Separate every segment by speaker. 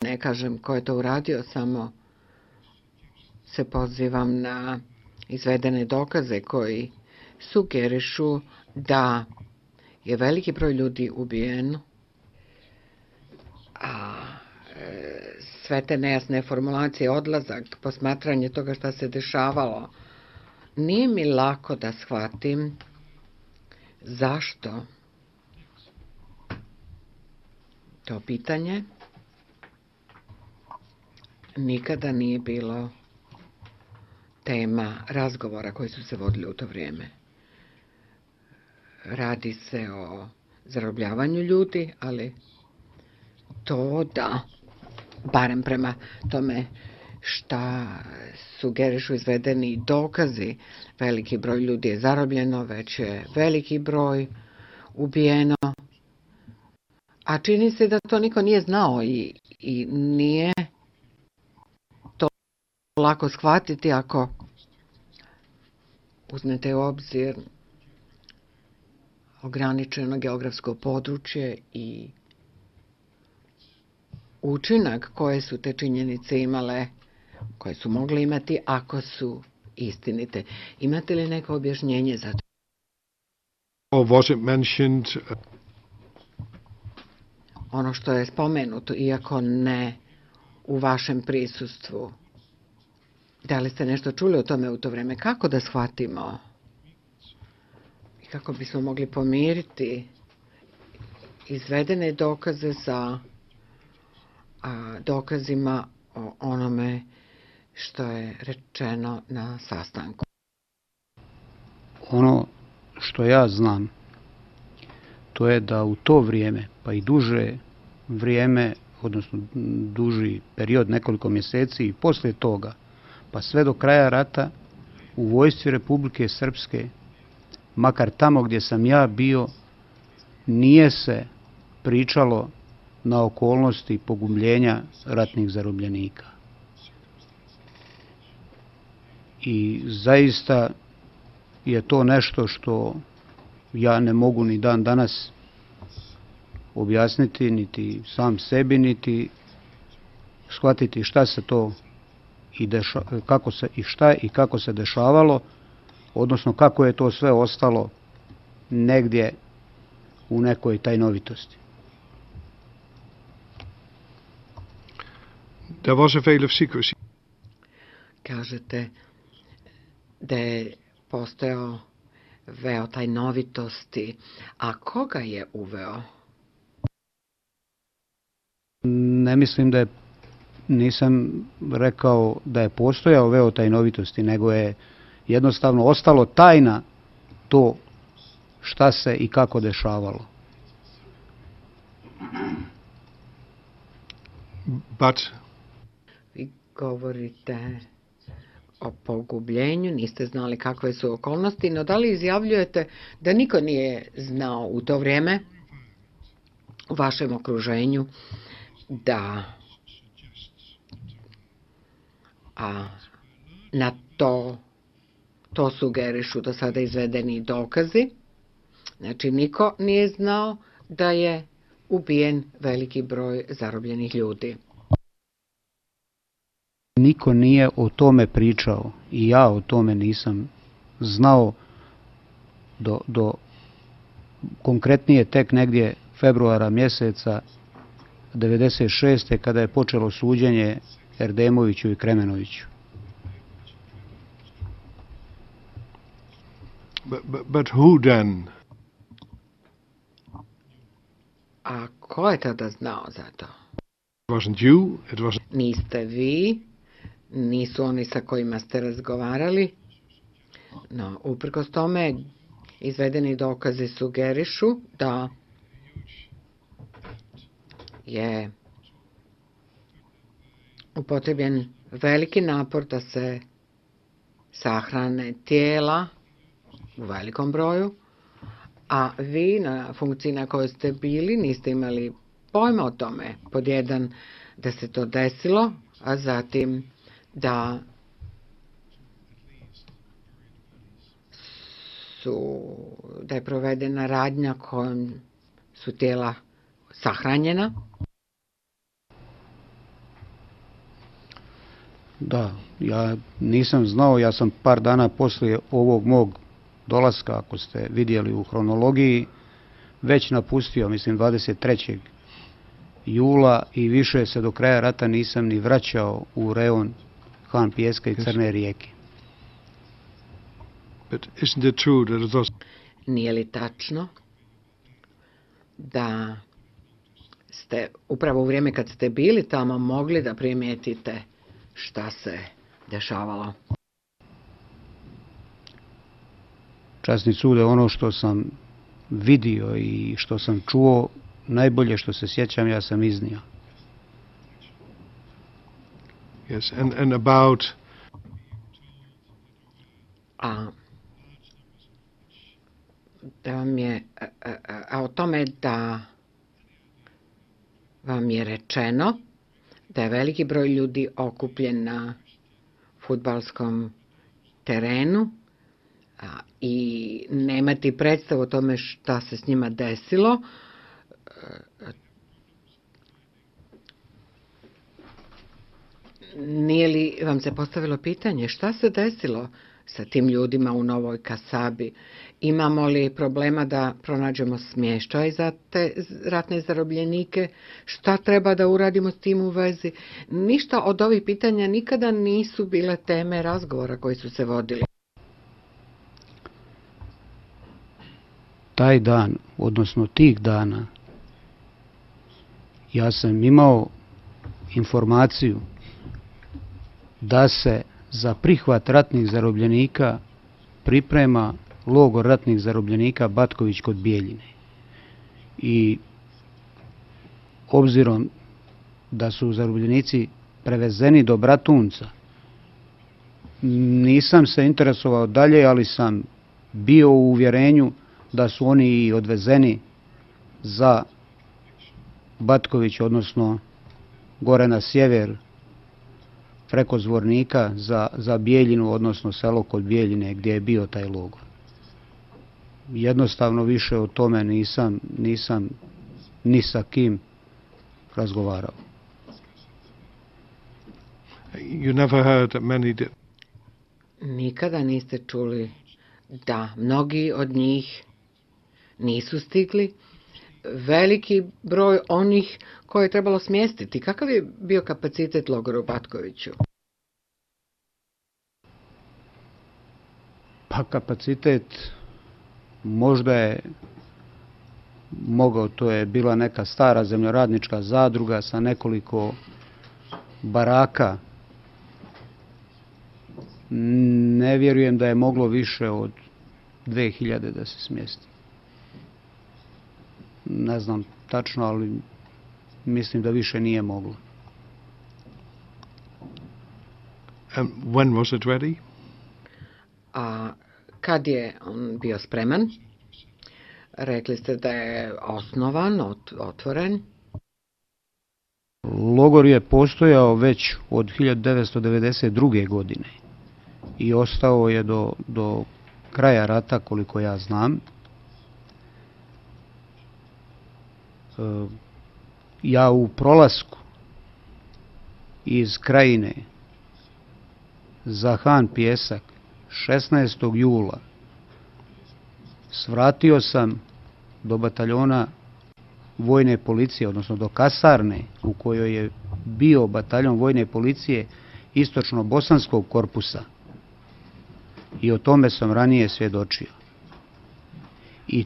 Speaker 1: Ne kažem ko je to uradio, samo se pozivam na izvedene dokaze koji sugerišu da je veliki broj ljudi ubijen, a sve te nejasne formulacije, odlazak, posmatranje toga šta se dešavalo, nije mi lako da shvatim zašto to pitanje nikada nije bilo tema razgovora koji su se vodili u to vrijeme. Radi se o zarobljavanju ljudi, ali to da, barem prema tome šta sugerišu izvedeni dokazi, veliki broj ljudi je zarobljeno, već je veliki broj ubijeno, a čini se da to niko nije znao i nije to lako shvatiti ako uzmete u obzir ograničeno geografsko područje i učinak koje su te činjenice imale, koje su mogle imati ako su istinite. Imate li neko objašnjenje za to?
Speaker 2: Or was it mentioned?
Speaker 1: Ono što je spomenuto, iako ne u vašem prisustvu. Da li ste nešto čuli o tome u to vrijeme? Kako da shvatimo? I kako bismo mogli pomiriti izvedene dokaze sa dokazima o onome što je rečeno na sastanku?
Speaker 3: Ono što ja znam, to je da u to vrijeme, pa i duže vrijeme, odnosno duži period, nekoliko mjeseci i poslije toga, pa sve do kraja rata, u vojsci Republike Srpske, makar tamo gdje sam ja bio, nije se pričalo na okolnosti pogubljenja ratnih zarobljenika. I zaista je to nešto što ja ne mogu ni dan danas objasniti, niti sam sebi, niti shvatiti šta se to i kako se dešavalo, odnosno kako je to sve ostalo negdje u nekoj tajnovitosti.
Speaker 2: There was a veil of secrecy.
Speaker 1: Kažete da je postojao veo tajnovitosti. A koga je uveo?
Speaker 3: Ne mislim nisam rekao da je postojao veo tajnovitosti, nego je jednostavno ostalo tajna to šta se i kako dešavalo.
Speaker 2: But
Speaker 1: vi govorite o pogubljenju, niste znali kakve su okolnosti, no da li izjavljujete da niko nije znao u to vrijeme u vašem okruženju da na to sugerišu do sada izvedeni dokazi? Znači, niko nije znao da je ubijen veliki broj zarobljenih ljudi.
Speaker 3: Niko nije o tome pričao i ja o tome nisam znao do konkretnije tek negdje februara mjeseca 1996. kada je počelo suđenje Erdemoviću i Kremenoviću.
Speaker 2: But who then?
Speaker 1: A ko je tada znao za to?
Speaker 2: It wasn't you, it wasn't...
Speaker 1: Niste vi, nisu oni sa kojima ste razgovarali, no uprkos tome izvedeni dokazi sugerišu da je upotrebljen veliki napor da se sahrane tijela u velikom broju, a vi na funkciji na kojoj ste bili niste imali pojma o tome. Pod jedan, da se to desilo, a zatim da je provedena radnja kojom su tijela sahranjena.
Speaker 3: Da, ja nisam znao, ja sam par dana poslije ovog mog dolaska, ako ste vidjeli u hronologiji, već napustio, mislim 23. jula i više se do kraja rata nisam ni vraćao u reon Han Pijeska i Crne rijeke.
Speaker 2: But isn't it true that it was
Speaker 1: Nije li tačno da ste upravo u vrijeme kad ste bili tamo mogli da primijetite šta se dešavalo?
Speaker 3: Časni sude, ono što sam vidio i što sam čuo, najbolje što se sjećam, ja sam iznio.
Speaker 2: yes, and about
Speaker 1: Da vam je, a o tome da vam je rečeno da je veliki broj ljudi okupljen na fudbalskom terenu i nemati predstavu o tome šta se s njima desilo. Nije li vam se postavilo pitanje šta se desilo sa tim ljudima u Novoj Kasabi? Imamo li problema da pronađemo smještaj za te ratne zarobljenike? Šta treba da uradimo s tim u vezi? Ništa od ovih pitanja nikada nisu bile teme razgovora koji su se vodili.
Speaker 3: Taj dan, odnosno tih dana, ja sam imao informaciju da se za prihvat ratnih zarobljenika priprema logor ratnih zarobljenika Batković kod Bijeljine. I obzirom da su zarobljenici prevezeni do Bratunca, nisam se interesovao dalje, ali sam bio u uvjerenju da su oni i odvezeni za Batković, odnosno gore na sjever, preko Zvornika za Bijeljinu, odnosno selo kod Bijeljine gdje je bio taj logor. Jednostavno više o tome nisam ni sa kim razgovarao.
Speaker 2: you never heard that many did.
Speaker 1: Nikada niste čuli da mnogi od njih nisu stigli? Veliki broj onih koje je trebalo smjestiti. Kakav je bio kapacitet logora u Batkoviću?
Speaker 3: Pa kapacitet možda je mogao, to je bila neka stara zemljoradnička zadruga sa nekoliko baraka. Ne vjerujem da je moglo više od 2000 da se smjesti. Ne znam tačno, ali mislim da više nije moglo.
Speaker 2: And when was it ready?
Speaker 1: A kad je on bio spreman? Rekli ste da je osnovan, otvoren.
Speaker 3: Logor je postojao već od 1992. godine i ostao je do kraja rata, koliko ja znam. Ja u prolasku iz Krajine za Han Pijesak 16. jula svratio sam do bataljona vojne policije, odnosno do kasarne u kojoj je bio bataljon vojne policije istočno-bosanskog korpusa. I o tome sam ranije svjedočio. I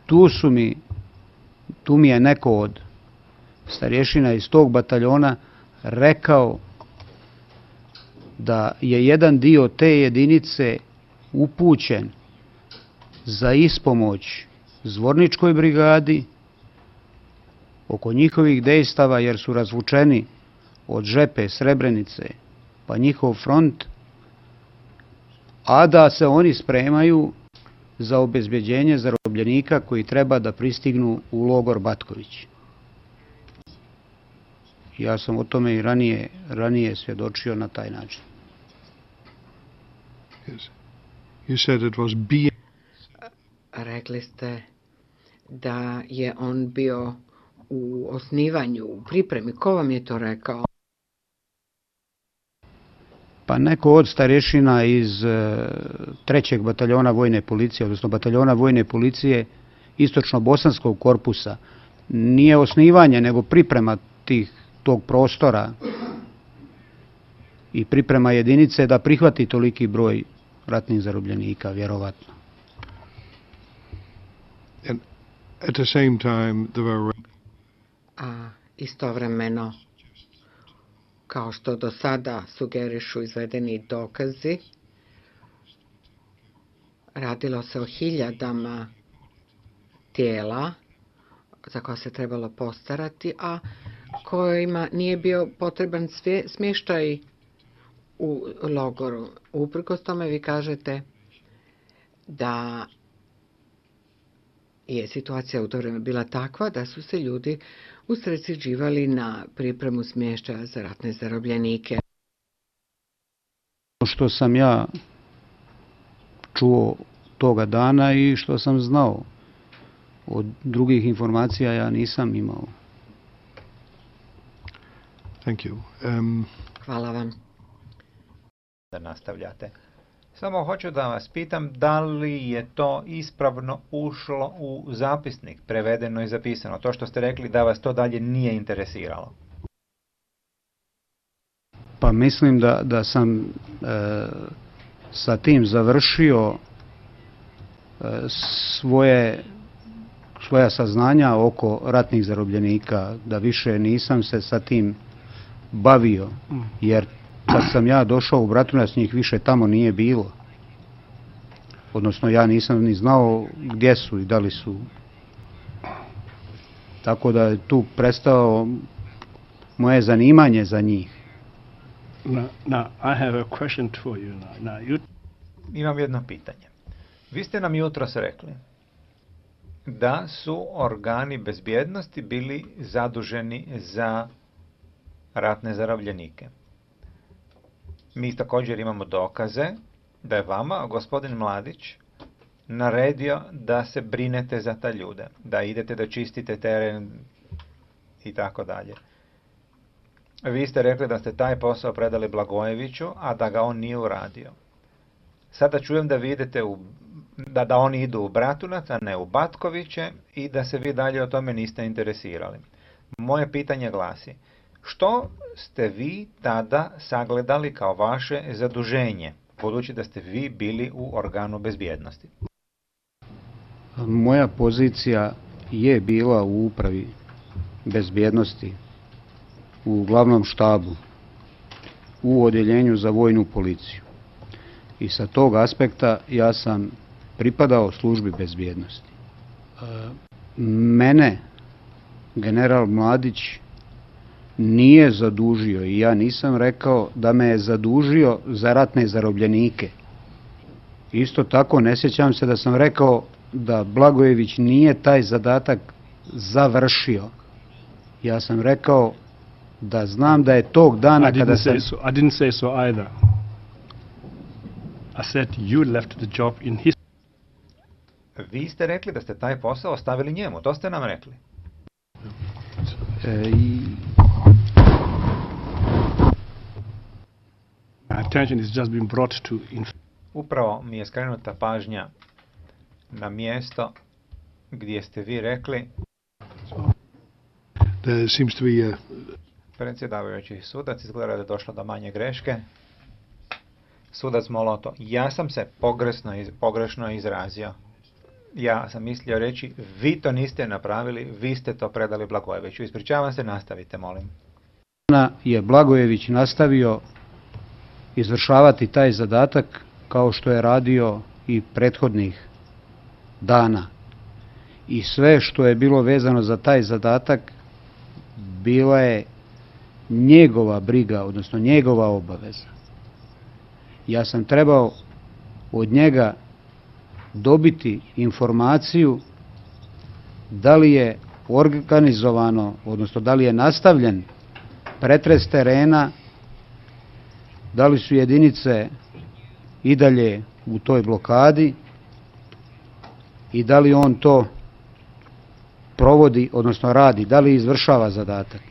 Speaker 3: tu mi je neko od starješina iz tog bataljona rekao da je jedan dio te jedinice upućen za ispomoć Zvorničkoj brigadi oko njihovih dejstava, jer su razvučeni od Žepe, Srebrenice pa njihov front, a da se oni spremaju za obezbeđenje zarobljenika koji treba da pristignu u logor Batković. Ja sam o tome i ranije svjedočio na taj način.
Speaker 2: Yes. You said it was
Speaker 1: Rekli ste da je on bio u osnivanju, u pripremi. Ko vam je to rekao?
Speaker 3: Pa neko od starješina iz 3. bataljona vojne policije, odnosno bataljona vojne policije istočno-bosanskog korpusa, nije osnivanje, nego priprema tog prostora i priprema jedinice da prihvati toliki broj ratnih zarobljenika, vjerovatno.
Speaker 2: And at the same time, there were...
Speaker 1: A istovremeno, kao što do sada sugerišu izvedeni dokazi, radilo se o hiljadama tijela za koja se trebalo postarati, a kojima nije bio potreban smještaj u logoru. Uprkos tome vi kažete da je situacija u to vrijeme bila takva da su se ljudi usredsređivali na pripremu smještaja za ratne zarobljenike.
Speaker 3: Što sam ja čuo toga dana i što sam znao, od drugih informacija ja nisam imao.
Speaker 2: Thank you.
Speaker 1: Hvala vam.
Speaker 4: Da nastavljate. Samo hoću da vas pitam da li je to ispravno ušlo u zapisnik, prevedeno i zapisano. To što ste rekli da vas to dalje nije interesiralo.
Speaker 3: Pa mislim da sam sa tim završio svoja saznanja oko ratnih zarobljenika, da više nisam se sa tim bavio, jer kad sam ja došao u Bratunac njih više tamo nije bilo. Odnosno ja nisam ni znao gdje su i da li su. Tako da je tu prestao moje zanimanje za njih.
Speaker 5: Now, I have a question for you now.
Speaker 4: Imam jedno pitanje. Vi ste nam jutros rekli da su organi bezbjednosti bili zaduženi za ratne zarobljenike. Mi također imamo dokaze da je vama gospodin Mladić naredio da se brinete za ta ljude, da idete da čistite teren i tako dalje. Vi ste rekli da ste taj posao predali Blagojeviću, a da ga on nije uradio. Sada čujem da vi idete da oni idu u Bratunac, a ne u Batkoviće i da se vi dalje o tome niste interesirali. Moje pitanje glasi, što ste vi tada sagledali kao vaše zaduženje, budući da ste vi bili u organu bezbjednosti?
Speaker 3: Moja pozicija je bila u upravi bezbjednosti, u glavnom štabu, u odjeljenju za vojnu policiju. I sa tog aspekta ja sam pripadao službi bezbjednosti. Mene general Mladić nije zadužio i ja nisam rekao da me je zadužio za ratne zarobljenike. Isto tako ne sjećam se da sam rekao da Blagojević nije taj zadatak završio. Ja sam rekao da znam da je tog dana kada sam...
Speaker 5: I didn't say so either. I said you left the job in his...
Speaker 4: Vi ste rekli da ste taj posao ostavili njemu, to ste nam rekli.
Speaker 5: Attention is just been brought to...
Speaker 4: Upravo mi je skrenuta pažnja na mjesto gdje ste vi rekli
Speaker 2: There seems to be a...
Speaker 4: Predsjedavajući sudac, izgleda da je došlo do manje greške. Sudac Moloto, ja sam se pogrešno izrazio. Ja sam mislio reći, vi to niste napravili, vi ste to predali Blagojeviću. Ispričavam se, nastavite, molim.
Speaker 3: Je Blagojević nastavio izvršavati taj zadatak kao što je radio i prethodnih dana. I sve što je bilo vezano za taj zadatak bila je njegova briga, odnosno njegova obaveza. Ja sam trebao od njega dobiti informaciju da li je organizovano, odnosno da li je nastavljen pretres terena, da li su jedinice i dalje u toj blokadi i da li on to provodi, odnosno radi, da li izvršava zadatak.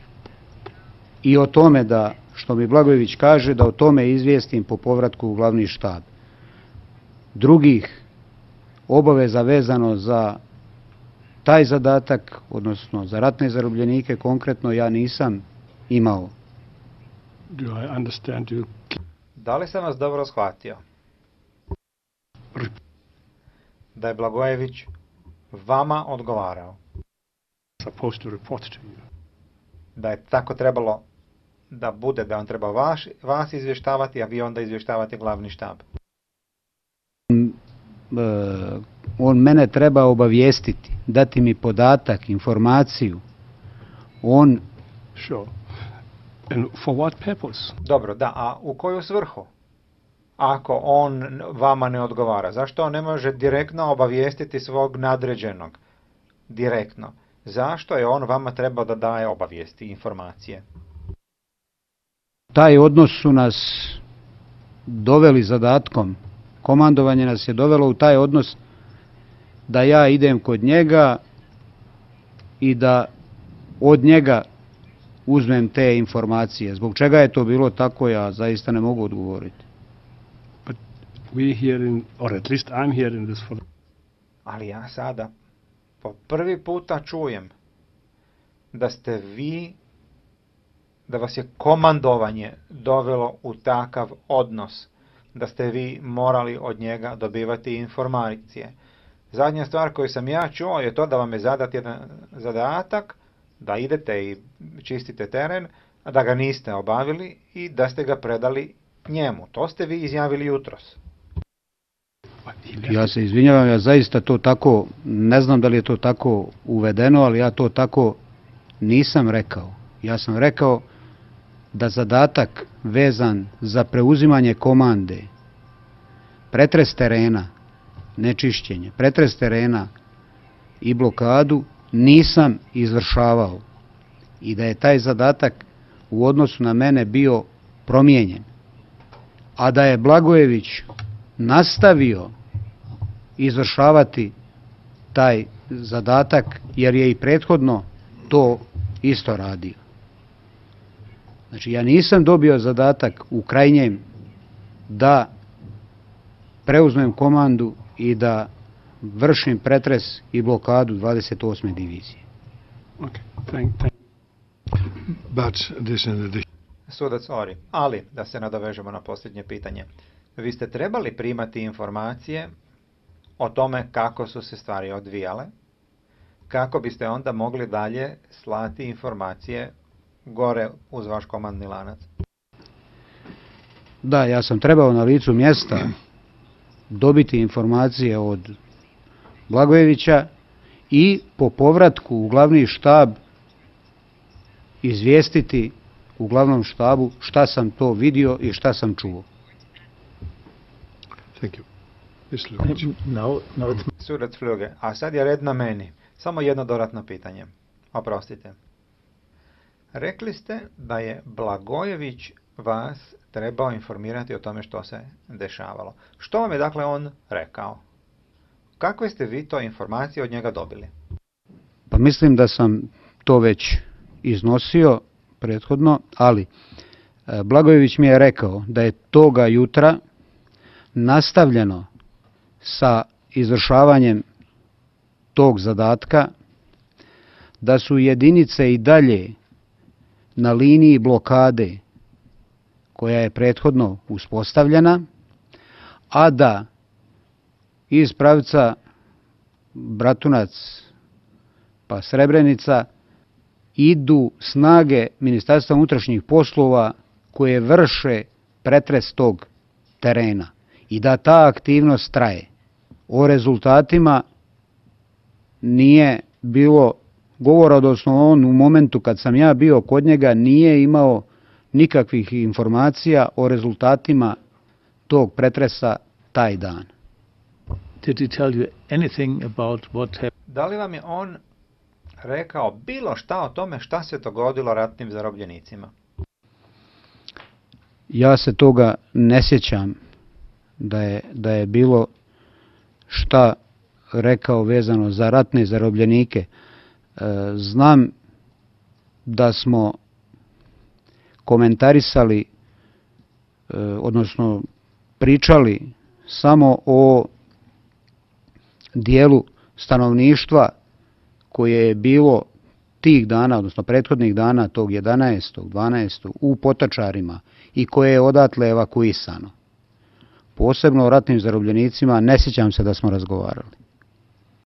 Speaker 3: I o tome da što mi Blagojević kaže da o tome izvijestim po povratku u glavni štab. Drugih obaveza vezano za taj zadatak, odnosno za ratne zarobljenike konkretno, ja nisam imao.
Speaker 5: Do I understand you
Speaker 4: Da li sam vas dobro shvatio? Da je Blagojević vama odgovarao.
Speaker 5: supposed to report to you?
Speaker 4: Da je tako trebalo da bude, da on treba vas izvještavati, a vi onda izvještavate glavni štab.
Speaker 3: On mene treba obavijestiti, dati mi podatak, informaciju. On
Speaker 5: Sure. And for what purpose?
Speaker 4: Dobro, da, a u koju svrhu? Ako on vama ne odgovara, zašto on ne može direktno obavijestiti svog nadređenog? Direktno. Zašto je on vama trebao da daje obavijesti, informacije?
Speaker 3: taj odnos su nas doveli zadatkom. Komandovanje nas je dovelo u taj odnos da ja idem kod njega i da od njega uzmem te informacije. Zbog čega je to bilo tako, ja zaista ne mogu odgovoriti.
Speaker 5: But we here in, or at least I'm hearing this for
Speaker 4: Ali ja sada po prvi puta čujem da ste vi, da vas je komandovanje dovelo u takav odnos, da ste vi morali od njega dobivati informacije. Zadnja stvar koju sam ja čuo je to da vam je zadat jedan zadatak, da idete i čistite teren, a da ga niste obavili i da ste ga predali njemu. To ste vi izjavili jutros.
Speaker 3: Ja se izvinjavam, ja zaista to tako, ne znam da li je to tako uvedeno, ali ja to tako nisam rekao. Ja sam rekao da zadatak vezan za preuzimanje komande, pretres terena, nečišćenje, pretres terena i blokadu nisam izvršavao i da je taj zadatak u odnosu na mene bio promijenjen. A da je Blagojević nastavio izvršavati taj zadatak jer je i prethodno to isto radio. Znači ja nisam dobio zadatak u krajnjem da preuzmem komandu i da vršim pretres i blokadu 28. divizije.
Speaker 5: Okay, thank.
Speaker 2: But this in addition.
Speaker 4: Sudac Ori, ali da se nadovežemo na posljednje pitanje. Vi ste trebali primati informacije o tome kako su se stvari odvijale, kako biste onda mogli dalje slati informacije gore uz vaš komandni lanac.
Speaker 3: Da, ja sam trebao na licu mjesta dobiti informacije od Blagojevića i po povratku u glavni štab izvijestiti u glavnom štabu šta sam to vidio i šta sam čuo.
Speaker 2: Thank you. Yes, Lukic.
Speaker 6: No, it's
Speaker 4: Sudac Fljuge, a sad je red na meni. Samo jedno dodatno pitanje. Oprostite. Rekli ste da je Blagojević vas trebao informirati o tome što se dešavalo. Što vam je dakle on rekao? Kakve ste vi to informacije od njega dobili?
Speaker 3: Pa mislim da sam to već iznosio prethodno, ali Blagojević mi je rekao da je toga jutra nastavljeno sa izvršavanjem tog zadatka, da su jedinice i dalje na liniji blokade koja je prethodno uspostavljena, a da iz pravca Bratunac pa Srebrenica idu snage Ministarstva unutrašnjih poslova koje vrše pretres tog terena i da ta aktivnost traje. O rezultatima nije bilo govora, odnosno on u momentu kad sam ja bio kod njega nije imao nikakvih informacija o rezultatima tog pretresa taj dan.
Speaker 6: Did he tell you anything about what happened?
Speaker 4: Da li vam je on rekao bilo šta o tome šta se dogodilo ratnim zarobljenicima?
Speaker 3: Ja se toga ne sjećam da je bilo šta rekao vezano za ratne zarobljenike. Znam da smo komentarisali, odnosno pričali samo o dijelu stanovništva koje je bilo tih dana, odnosno prethodnih dana, tog 11. 12. u Potočarima i koje je odatle evakuisano. Posebno o ratnim zarobljenicima ne sjećam se da smo razgovarali.